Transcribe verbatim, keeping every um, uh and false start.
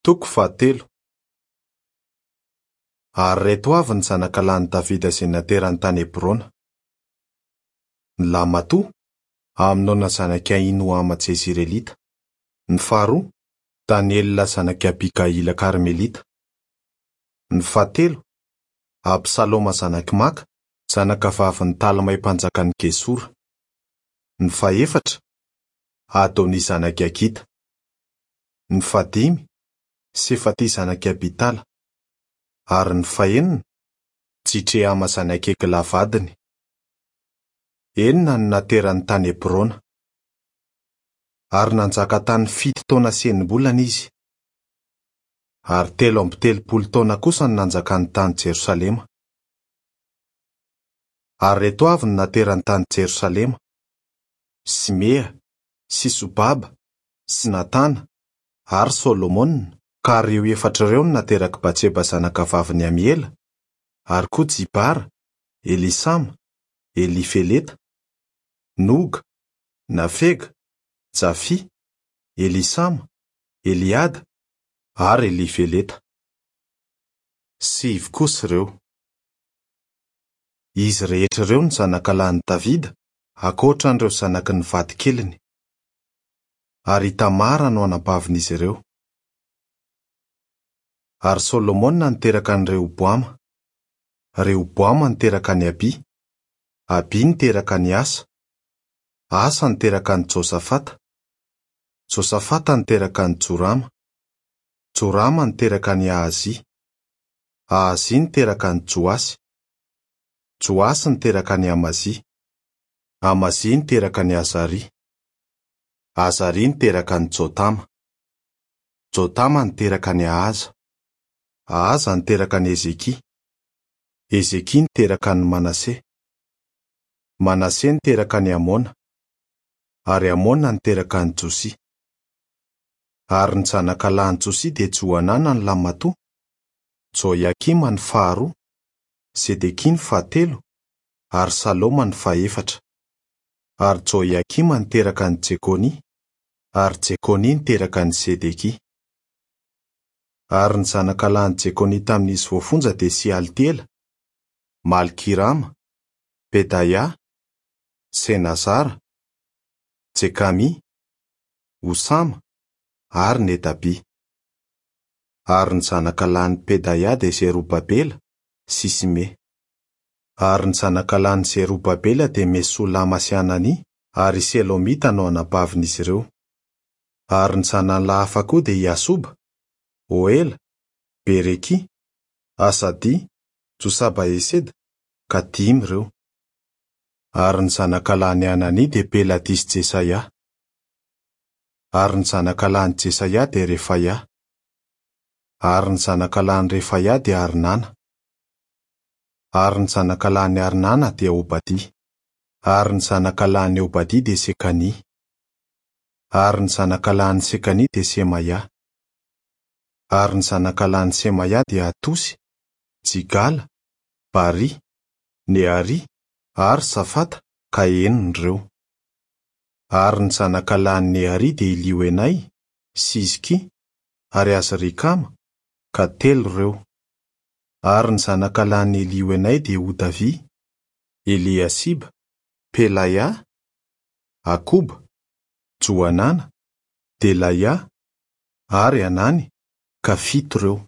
Toko fahatelo. Ary ireto avy ny zanakalahin'i Davida izay naterany tany Hebrona: ny lahimatoa, Amnona zanak'i Ahinoama Jezirelita; ny faharoa, Daniela zanak'i Abigaila Karmelita; ny fahatelo, Absaloma zanak'i Maka, zanakavavin'i Talmay mpanjakan'i Gesora; ny fahefatra, Adonia zanak'i Hagita; ny fahadimy, Sefatia zanak'i Abitala; ary ny fahenina, Jitreama zanak'i Egla vadiny. Enina no naterany tany Hebrona. Ary nanjaka tany fito taona sy enim-bolana izy. Ary telo amby telopolo taona kosa no nanjakany tany Jerosalema. Ary ireto avy no naterany tany Jerosalema: Simea, sy Sobaba, sy Natana, ary Solomona, ka ireo efatra ireo no naterak'i Batseba zanakavavin'i Amiela, ary koa Jibara, Elisama, Elifeleta, Noga, Nafega, Jafia, Elisama, Eliada ary Elifeleta. Sivy kosa ireo. Izy rehetra ireo no zanakalahin'i Davida, ankoatra an'ireo zanaky ny vadikeliny. Ary i Tamara no anabavin'izy ireo. Ary Solomona niteraka an'i Rehoboama. Rehoboama niteraka an'i Abia. Abia niteraka an'i Asa. Asa niteraka an'i Josafata. Josafata niteraka an'i Jorama. Jorama niteraka an'i Ahazia. Ahazia niteraka an'i Joasy. Joasy niteraka an'i Amazia. Amazia niteraka an'i Azaria. Azaria niteraka an'i Jotama. Jotama niteraka an'i Ahaza. Ahaza niteraka an'i Hezekia. Hezekia niteraka an'i Manase. Manase niteraka an'i Amona. Ary Amona niteraka an'i Josia. Ary ny zanakalahin'i Josia dia Johanana ny lahimatoa, Joiakima ny faharoa, Sedekia ny fahatelo, ary Saloma ny fahefatra. Ary Joiakima niteraka an'i Jekonia, ary Jekonia niteraka an'i Sedekia. Ary ny zanakalahin'i Jekonia tamin'izy voafonja dia Sealtiela, Malkirama, Pedaia, Senazara, Jekamia, Osama ary Nedabia. Ary ny zanakalahin'i Pedaia dia Zerobabela sy Simea. Ary ny zanakalahin'i Zerobabela dia Mesolama sy Anania ary i Selomita no anabavin'izy ireo. Ary ny zanany lahy hafa koa dia i Asoba, Oela, Berekia, Asadia, Josaba-Heseda, ka dimy ireo. Ary ny zanakalahin'i Anania dia Pelatia sy Jesaia. Ary ny zanakalahin'i Jesaia dia Refaia. Ary ny zanakalahin'i Refaia dia Arnana. Ary ny zanakalahin'i Arnana dia Obadia. Ary ny zanakalahin'i Obadia dia Sekania. Ary ny zanakalahin'i Sekania dia Semaia. Ary ny zanakalahin'i Semaia dia Hatosy, Jigala, Bari, Nearia ary Safata, ka enina ireo. Ary ny zanakalahin'i Nearia dia Elioenay, sy Hizkia ary Azrikama, ka telo ireo. Ary ny zanakalahin'i Elioenay dia Hodavia, Eliasiba, Pelaia, Akoba, Johanana, Delaia ary Anany, ka fito ireo.